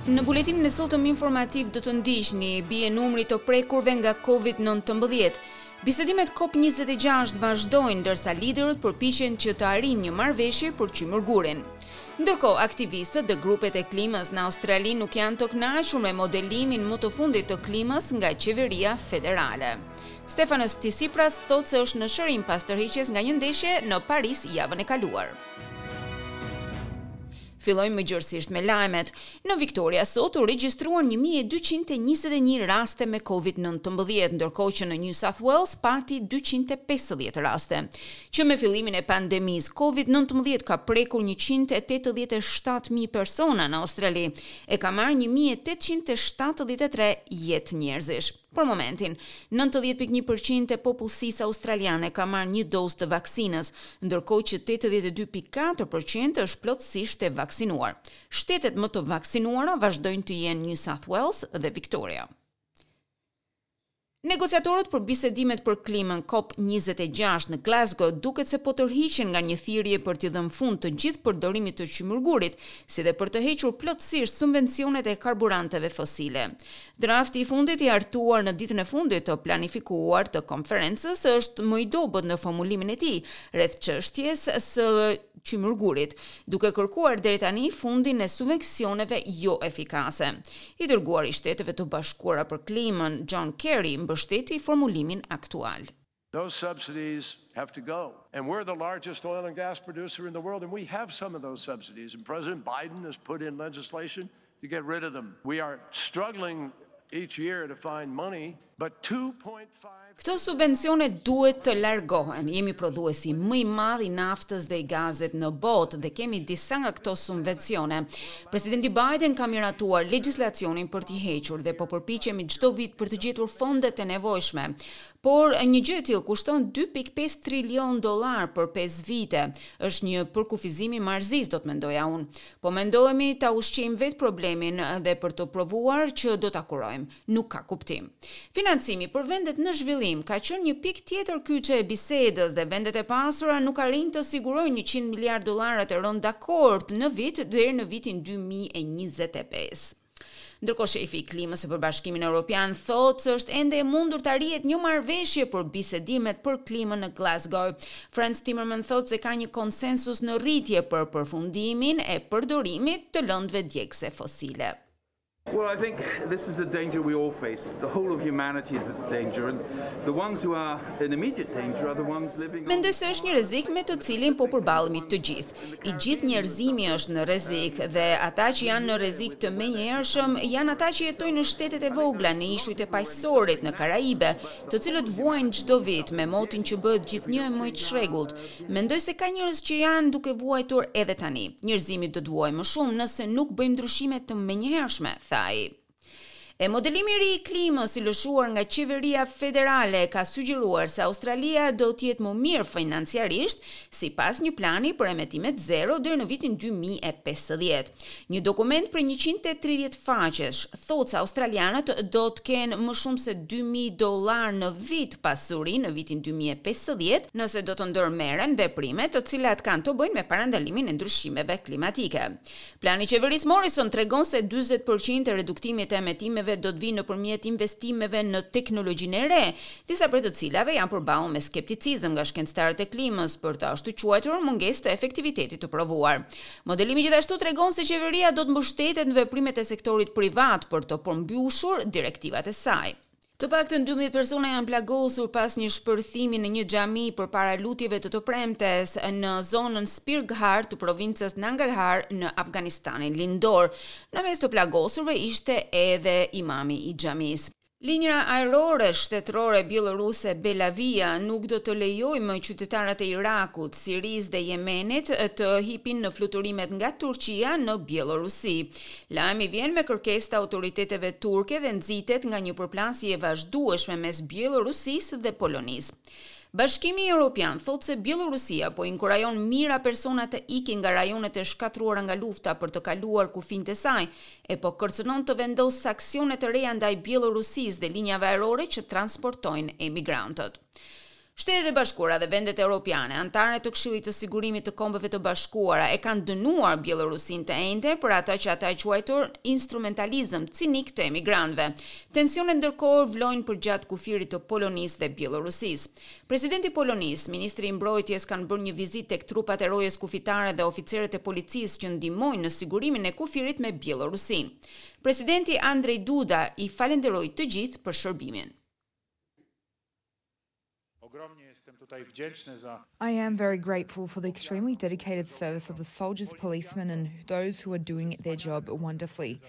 Në buletinin e sotëm informativ do të ndiqni bie numri i të prekurve nga Covid-19. Bisedimet COP26 vazhdojnë ndërsa liderët përpiqen që të arrijnë një marrëveshje për qymyrgurin. Ndërkohë, aktivistët dhe grupet e klimës në Australi nuk janë të kënaqur me modelimin më të fundit të klimës nga qeveria federale. Stefanos Tsipras thotë se është në shërim pas tërheqjes nga një ndeshje në Paris javën e kaluar. Fillojmë më gjerësisht me lajmet. Në Victoria sot u regjistruan 1221 raste me COVID-19, ndërkohë që në New South Wales pati 250 raste. Që me fillimin e pandemisë, COVID-19 ka prekur 187.000 persona në Australi e ka marrë 1873 jetë njerëzish. Për momentin, 90.1% e popullsisë australiane ka marrë një dozë të vaksinës, ndërkohë që 82.4% është plotësisht e vaksinuar. Shtetet më të vaksinuara vazhdojnë të jenë New South Wales dhe Victoria. Negociatorët për bisedimet për klimën COP26 në Glasgow duket se po tërhiqen nga një thirrje për t'i dhënë fund të gjithë përdorimit të qymyrgurit, si dhe për të hequr plotësisht subvencionet e karburanteve fosile. Drafti i fundit i hartuar në ditën e fundit të planifikuar të konferencës është më i dobët në formulimin e tij rreth çështjes së qymyrgurit, duke kërkuar deri tani fundin e subvencioneve jo efikase. I dërguari i Shteteve të Bashkuara për Klimën, John Kerry, mbështeti formulimin aktual. Those subsidies have to go. And we're the largest oil and gas producer in the world, and we have some of those subsidies. And President Biden has put in legislation to get rid of them. We are struggling each year to find money, but 2.5 Këto subvencione duhet të largohen. Jemi prodhuesi më i madh i naftës dhe i gazit në botë dhe kemi disa nga këto subvencione. Presidenti Biden ka miratuar legjislacionin për t'i hequr dhe po përpiqemi çdo vit për të gjetur fondet e nevojshme. Por një gjë e tillë kushton 2.5 trilion dollar për 5 vite. Është një përkufizim i marrëzisë, do të mendoja unë. Po mundohemi ta ushqejmë vetë problemin dhe për të provuar që do ta kurojmë. Nuk ka kuptim. Financimi për vendet në zhvillim ka qenë një pikë tjetër kyçe e bisedës dhe vendet e pasura nuk arrijnë të sigurojnë 100 miliard dollarët e rënë dakord në vit deri në vitin 2025. Ndërkohë shefi i klimës së për Bashkimin Evropian thotë se është ende e mundur të arrihet një marrëveshje për bisedimet për klimën në Glasgow. Frans Timmermans thotë se ka një konsensus në rritje për përfundimin e përdorimit të lëndëve djegëse fosile. Well, I think this is a danger we all face. The whole of humanity is at danger and the ones who are in immediate danger are the ones living on Mendoj se është një rrezik me të cilin po përballemi të gjithë. I gjithë njerëzimi është në rrezik dhe ata që janë në rrezik të menjëhershëm janë ata që jetojnë në shtetet e vogla, në ishujt e Paqësorit, në Karaibe, të cilët vuajnë çdo vit me motin që bëhet gjithnjë e më i çrregullt. Mendoj se ka njerëz që janë duke vuajtur edhe tani. Njerëzimi do të vuajë më shumë nëse nuk bëjmë ndryshime të menjëhershme, tha ai. E modelimi i ri i klimës i lëshuar nga qeveria federale ka sugjeruar se Australia do të jetë më mirë financiarisht sipas një plani për emetimet zero deri në vitin 2050. Një dokument prej 130 faqesh thotë se australianët do të kenë më shumë se 2000 dollar në vit pasuri në vitin 2050 nëse do të ndërmerren veprime të cilat kanë të bëjnë me parandalimin e ndryshimeve klimatike. Plani i qeverisë Morrison tregon se 40% e reduktimit të emetimeve do të vinë nëpërmjet investimeve në teknologjinë e re, disa prej të cilave janë përballur me skepticizëm nga shkencëtarët e klimës për të ashtuquajturën mungesë të efektivitetit të provuar. Modelimi gjithashtu tregon se qeveria do të mbështetet në veprimet e sektorit privat për të përmbushur direktivat e saj. Të paktën 12 persona janë plagosur pas një shpërthimi në një xhami përpara lutjeve të të premtes në zonën Spinghar të provincës Nangarhar në Afganistanin lindor. Në mes të plagosurve ishte edhe imami i xhamisë. Linja ajrore shtetërore bjelloruse Belavia nuk do të lejojë më qytetarët e Irakut, Sirisë dhe Jemenit të hipin në fluturimet nga Turqia në Bjellorusi. Lajmi vjen me kërkesë të autoriteteve turke dhe nxitet nga një përplasje e vazhdueshme mes Bjellorusisë dhe Polonisë. Bashkimi Evropian thotë se Bjellorusia po inkurajon mijëra persona të ikin nga rajonet e shkatërruara nga lufta për të kaluar kufinjtë e saj, e po kërcënon të vendosë sanksione të reja ndaj Bjellorusisë dhe linjave ajrore që transportojnë emigrantët. Shtetet e Bashkuara dhe vendet europiane, anëtare të Këshillit të Sigurimit të Kombeve të Bashkuara, e kanë dënuar Bjellorusinë të enjten për atë që ata e quajtur instrumentalizëm cinik të emigrantëve. Tensionet ndërkohë vlojnë përgjatë kufirit të Polonisë dhe Bjellorusisë. Presidenti i Polonisë, ministri i Mbrojtjes kanë bërë një vizitë tek trupat e rojes kufitare dhe oficerët e policisë që ndihmojnë në sigurimin e kufirit me Bjellorusinë. Presidenti Andrzej Duda i falënderoi të gjithë për shërbimin. I am very grateful for the extremely dedicated service of the soldiers, policemen and those who are doing their job wonderfully.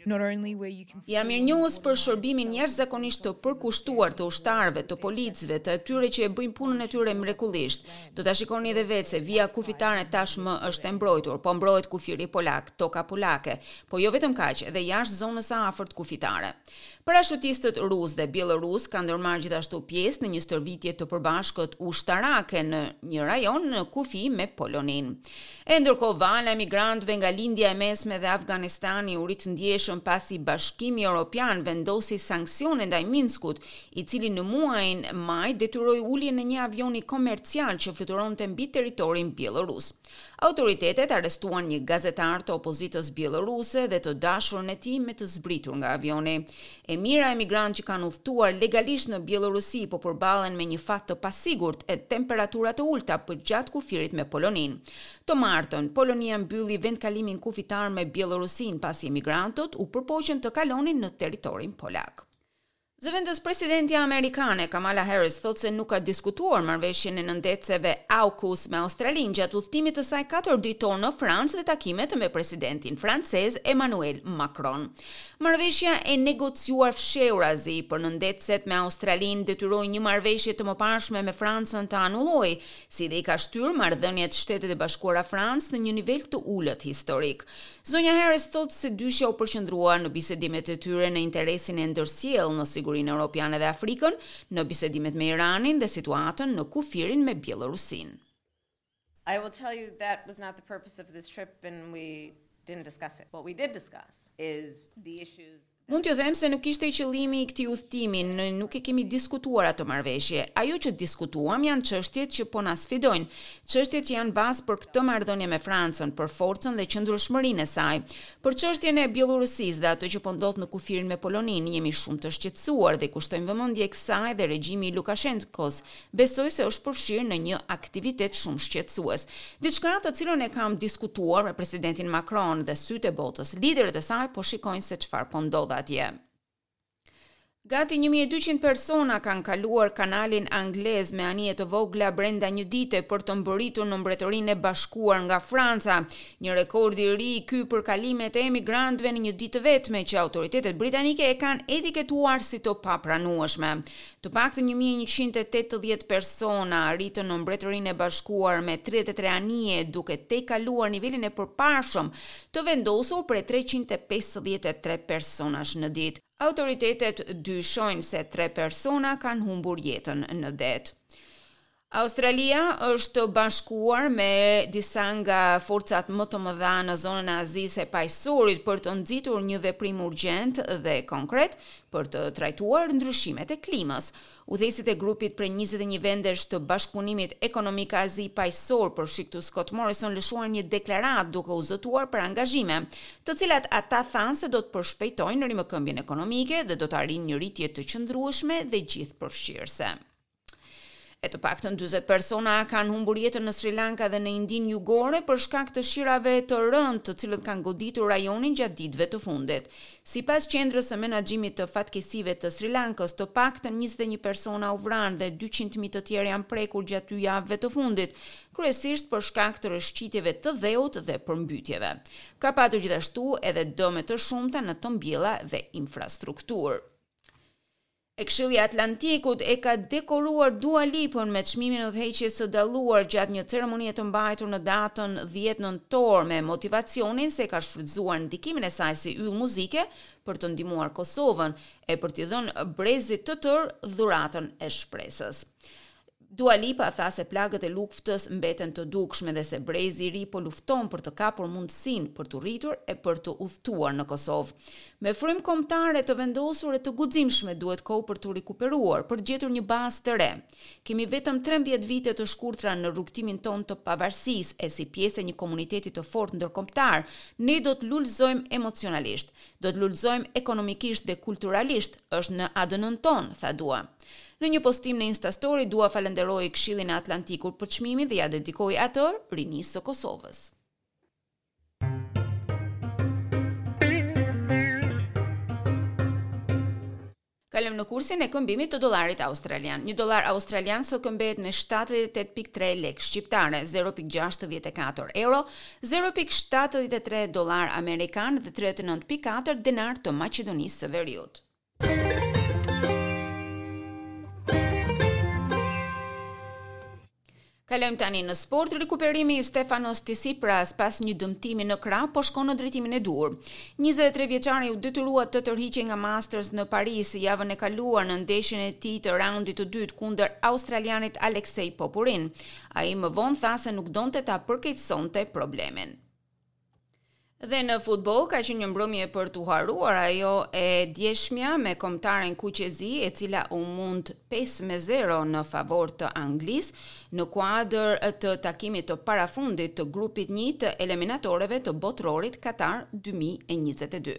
Not only where you can see Jam mirënjohës për shërbimin jashtëzakonisht të përkushtuar të ushtarëve, të policëve, të atyre që e bëjnë punën e tyre mrekullisht. Do ta shikoni edhe vetë se vija kufitare tashmë është e mbrojtur, po mbrohet kufiri polak, toka polake, por jo vetëm kaq, edhe jashtë zonës së afërt kufitare. Parashutistët rusë dhe bjellorusë kanë ndërmarrë gjithashtu pjesë në një stërvitje të përbashkët ushtarake në një rajon në kufi me Poloninë. E ndërkohë vala e migrantëve nga Lindja e Mesme dhe Afganistani u rrit ndjeshëm pasi Bashkimi Europian vendosi sanksione ndaj Minskut, i cili në muajin maj detyroi uljen e një avioni komercial që fluturonte mbi territorin bjellorus. Autoritetet arrestuan një gazetar të opozitës bjelloruse dhe të dashurën e tij me të zbritur nga avioni. E mijëra emigrantë që kanë udhëtuar legalisht në Bjellorusi po përballen me një fat të pasigurt e temperatura të ulëta përgjatë kufirit me Poloninë. Të martën, Polonia mbylli vendkalimin kufitar me Bjellorusinë pasi emigrantët u përpoqën të kalonin në territorin polak. Zëvendës presidentja amerikane Kamala Harris thotë se nuk ka diskutuar marrëveshjen e nëndetëseve AUKUS me Australinë gjatë udhëtimit të saj katër ditor në Francë dhe takimet me presidentin francez Emmanuel Macron. Marrëveshja e negociuar fshehurazi për nëndetëset me Australinë detyroi një marrëveshje të mëparshme me Francën të anullohej, si dhe i ka shtyrë marrëdhëniet Shtetet e Bashkuara-Francë në një nivel të ulët historik. Zonja Harris thotë se dyshja u përqendrua në bisedimet e tyre në interesin e ndërsjellë në sigurinë europiane dhe Afrikën, në bisedimet me Iranin dhe situatën në kufirin me Bjellorusinë. I will tell you that was not the purpose of this trip and we didn't discuss it. What we did discuss is the issues Mund t'ju them se nuk ishte qëllimi i këtij udhëtimi, ne nuk e kemi diskutuar atë marrëveshje. Ajo që diskutuam janë çështjet që po na sfidojnë, çështjet që janë bazë për këtë marrëdhënie me Francën, për forcën dhe qëndrueshmërinë e saj. Për çështjen e Bjellorusisë dhe atë që po ndodh në kufirin me Poloninë, jemi shumë të shqetësuar dhe i kushtojmë vëmendje kësaj dhe regjimi i Lukashenkos Besoj se është përfshirë në një aktivitet shumë shqetësues. Diçka të cilën e kam diskutuar me presidentin Macron dhe sytë e botës, liderët e saj po shikojnë se çfarë po ndodh atje. Gati 1200 persona kanë kaluar kanalin anglez me anije të vogla brenda një dite për të mbërritur në Mbretërinë e Bashkuar nga Franca, një rekord i ri ky për kalimet e emigrantëve në një ditë të vetme që autoritetet britanike e kanë etiketuar si të papranueshme. Të paktën 1180 persona arritën në Mbretërinë e Bashkuar me 33 anije, duke tejkaluar nivelin e përparshëm të vendosur prej 353 personash në ditë. Autoritetet dyshojnë se tre persona kanë humbur jetën në det. Australia është bashkuar me disa nga forcat më të mëdha në zonën e Azisë e Paqësorit për të nxitur një veprim urgjent dhe konkret për të trajtuar ndryshimet e klimës. Udhëheqësit e grupit prej 21 vendesh të bashkëpunimit ekonomik Azi Paqësor, përfshi këtu Scott Morrison lëshuan një deklaratë duke u zotuar për angazhime, të cilat ata thanë se do të përshpejtojnë rimëkëmbjen ekonomike dhe do të arrijnë një rritje të qëndrueshme dhe gjithëpërfshirëse. E të paktën 40 persona kanë humbur jetën në Sri Lanka dhe në Indinë Jugore për shkak të shirave të rëndë, të cilët kanë goditur rajonin gjatë ditëve të fundit. Sipas Qendrës së Menaxhimit të Fatkeqësive të Sri Lankës, të paktën 21 persona u vranë dhe 200.000 të tjerë janë prekur gjatë dy javëve të fundit, kryesisht për shkak të rrëshqitjeve të dheut dhe përmbytjeve. Ka patur gjithashtu edhe dëme të shumta në të mbjella dhe infrastrukturë. E Këshilli i Atlantikut e ka dekoruar Dua Lipën me çmimin e udhëheqjes së dalluar gjatë një ceremonie të mbajtur në datën 10 nëntor me motivacionin se ka shfrytëzuar ndikimin e saj si yll muzike për të ndihmuar Kosovën e për t'i dhënë brezit të tërë dhuratën e shpresës. Dua Lipa tha se plagët e luftës mbeten të dukshme dhe se brezi i ri po lufton për të kapur mundësinë për t'u rritur e për të udhëtuar në Kosovë. Me frymë kombëtare të vendosur e të guximshme duhet kohë për t'u rikuperuar, për të gjetur një bazë të re. Kemi vetëm 13 vite të shkurtra në rrugëtimin tonë të pavarësisë e si pjesë e një komuniteti të fortë ndërkombëtar, ne do të lulëzojmë emocionalisht, do të lulëzojmë ekonomikisht dhe kulturalisht, është në ADN-në tonë, tha Dua. Në një postim në Instastory, Dua falënderoi Këshillin e Atlantikut për çmimin dhe ia dedikoi atë rinisë së Kosovës. Kalojmë në kursin e këmbimit të dollarit australian. Një dollar australian sot këmbehet me 78.3 lekë shqiptare, 0.64 euro, 0.73 dollar amerikan dhe 39.4 denar të Maqedonisë së Veriut. Kalojmë tani në sport. Rikuperimi i Stefanos Tsipras pas një dëmtimi në krah po shkon në drejtimin e duhur. 23 vjeçari u detyrua të tërhiqej nga Masters në Paris javën e kaluar në ndeshjen e tij të raundit të dytë kundër australianit Alexei Popurin. Ai më vonë tha se nuk donte ta përkeqësonte problemin. Dhe në futboll ka qenë një mbrëmje për t'u harruar ajo e djeshmja me kombëtaren kuqezi e cila u mund 5-0 në favor të Anglisë në kuadër të takimit të parafundit të grupit 1 të eliminatoreve të Botërorit Katar 2022.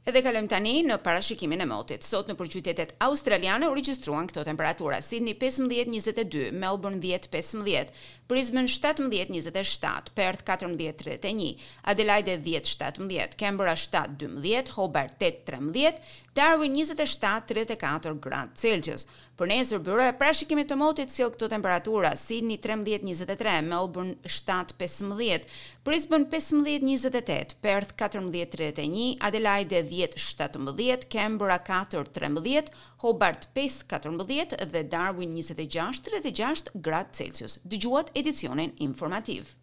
Edhe kalojmë tani në parashikimin e motit. Sot nëpër qytetet australiane u regjistruan këto temperatura: Sydney 15-22, Melbourne 10-15, Brisbane 17-27, Perth 14-31, Adelaide 10-17, Canberra 7-12, Hobart 8-13, Darwin 27-34 gradë Celsius. Për nesër, byroja e parashikimit të motit sjell këto temperatura: Sydney 13-23, Melbourne 7-15, Brisbane 15-28, Perth 14-31, Adelaide 10-17, Canberra 4-13, Hobart 5-14 dhe Darwin 26-36 gradë Celsius. Dëgjuat edicionin informativ.